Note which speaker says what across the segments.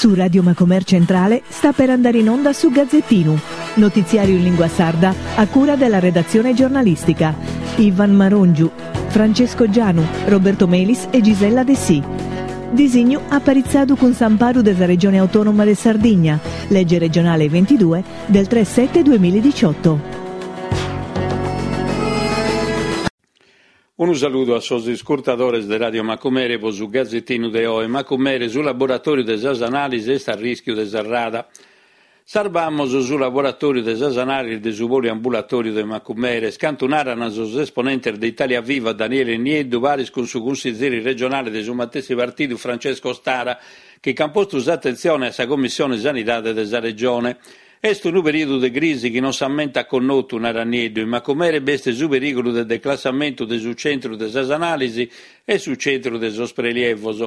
Speaker 1: Su Radio Macomer Centrale sta per andare in onda su Gazzettinu, notiziario in lingua sarda a cura della redazione giornalistica. Ivan Marongiu, Francesco Gianu, Roberto Melis e Gisella Dessì. Disignu aparitzadu cun s'amparu de sa Regione Autonoma de Sardigna, lege regionale 22 del 3 7 2018.
Speaker 2: Unu saludu a sos iscurtadores de Radio Macumere pro su Gazetinu de oe. Macumere, su laboratòriu de sas anàlisi est a rìschiu de serrada. Sarbamos su laboratòriu de sas anàlisi de su poliambulatòriu de Macumere. Est cantu naran sos esponentes de Italia Viva Daniele Nieddu paris cun su cunsizeri regionale de su matessi partidu Francesco Stara chi ch'an postu s'atentzione a sa Commissione Sanidade de sa Regione. Est unu perìodu de crisi chi non s'ammentat connotu, narat Nieddu, in Macumere b'est su perìgulu de declassamentu de su centru de sas anàlisi e su centru de sos prelievos.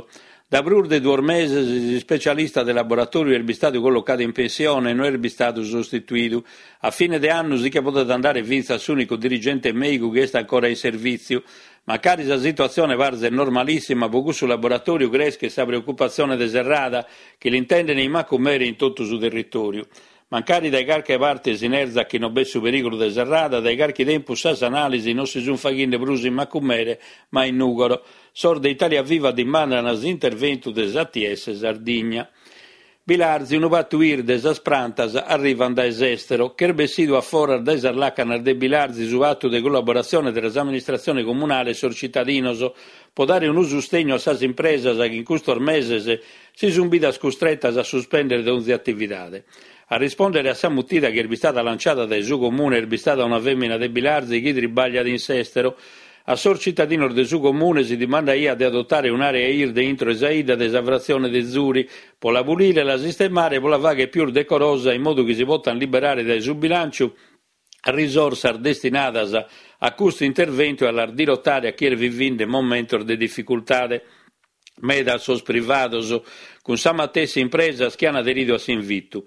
Speaker 2: Da prus de duos meses s'ispecialista de laboratòriu est bistadu collocadu in pensione e no est bistadu sostituidu. A fine de annu si che podet andare fintzas s'ùnicu dirigente mèigu chi est ancora in servìtziu. Mancari sa situatzione parzet normalissima, pro cussu laboratòriu creschet sa preocupatzione de serrada, chi l'intenden in Macumere e in totu su territòriu. Mancari dae carchi parte si nerzat chi non b'est su perìgulu de serrada, dae carchi tempus sas anàlisi non si sunt faghende prus in Macumere ma in Nùgoro. Sos de Italia Viva dimandan s'interventu de s'ATS Sardigna. Bilartzi, unu patu 'irde, sas prantas arrivant dae s'èstero. Ch'est bessidu a foras dae sas làcanas de Bilartzi su patu de collaboratzione tra s'amministratzione comunale e sos citadinos pro dare unu sustegnu a sas impresas chi in custos meses si sunt bidas custretas a suspèndere donzi atividade. A rispòndere a sa mutida chi est bistada lanciada dae su Comune est bistada una fèmina de Bilartzi chi tribagliat in s'èstero. A sos citadinos de su Comune si dimandaiat de adotare un'àrea 'irde intro 'e sa 'idda de sa fratzione de Zuri pro la pulire, la sistemare e pro la fàghere pius decorosa in modu chi si potant liberare dae su bilànciu risorsas destinadas a custu interventu e a las dirotare a chie est vivinde momentos de dificultade meda a sos privados cun sa matessi impresas chi an aderidu a s'invitu.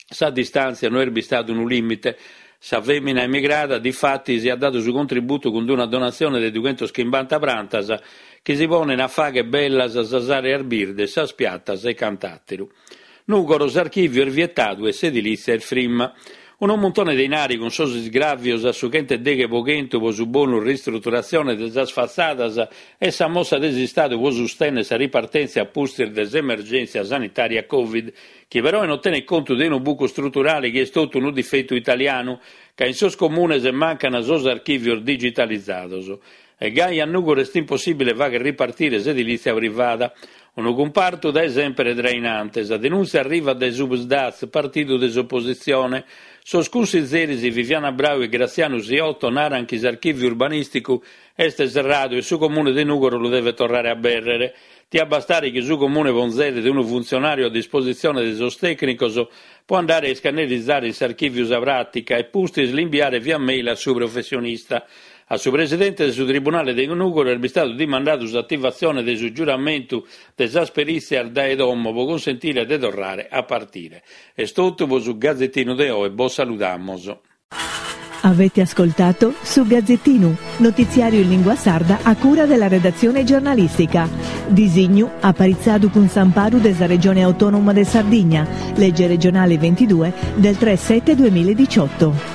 Speaker 2: Sa distàntzia no est bistadu unu lìmite. Sa fèmina emigrada, difatis, at dadu su contributu cun una donatzione de dughentoschimbanta prantas chi si ponen a fàghere bellas sas àreas birdes, sas piatas e cant'àteru. Nùgoro, s'archìviu est vietadu e s'edilìtzia est frimma. Unu muntone de inari cun sos isgràvios a su chentedeghe po chentu po su bonus ristruturatzione de sas fatzadas e sa mossa de s'Istadu po sustènnere sa ripartèntzia a pustis de s'emergèntzia sanitària Covid, chi peroe non tenet contu de unu bucu struturale chi est totu unu difetu italianu, ca in sos comunes mancan sos archìvios digitalizados. E gai a Nùgoro est impossìbile fàghere ripartire s'edilìtzia privada, unu cumpartu dae sèmpere trainante. Sa denùntzia arrivat dae su Psd'Az, partidu de s'opositzione. Sos cunsizeris Viviana Brau e Grazianu Siotto naran chi s'archìviu urbanìsticu est serradu e su Comune de Nùgoro lu devet torrare a abèrrere. Tiat bastare chi su Comune ponzeret unu funtzionàriu a dispositzione de sos tècnicos pro andare a iscannerizare in s'archìviu sa pràtica e pustis l'imbiare via mail a su professionista. A su presidente de su Tribunale de Nùgoro est bistadu dimandadu s'ativatzione de su giuramentu de sas perìtzias dae domo pro cunsentire de torrare a partire. Est totu pro su Gazetinu de oe, bos saludamos.
Speaker 1: Avete ascoltato Su Gazzettinu, notiziario in lingua sarda a cura della redazione giornalistica. Disignu aparitzadu cun s'amparu de sa Regione Autonoma de Sardigna, legge regionale 22 del 3 7 2018.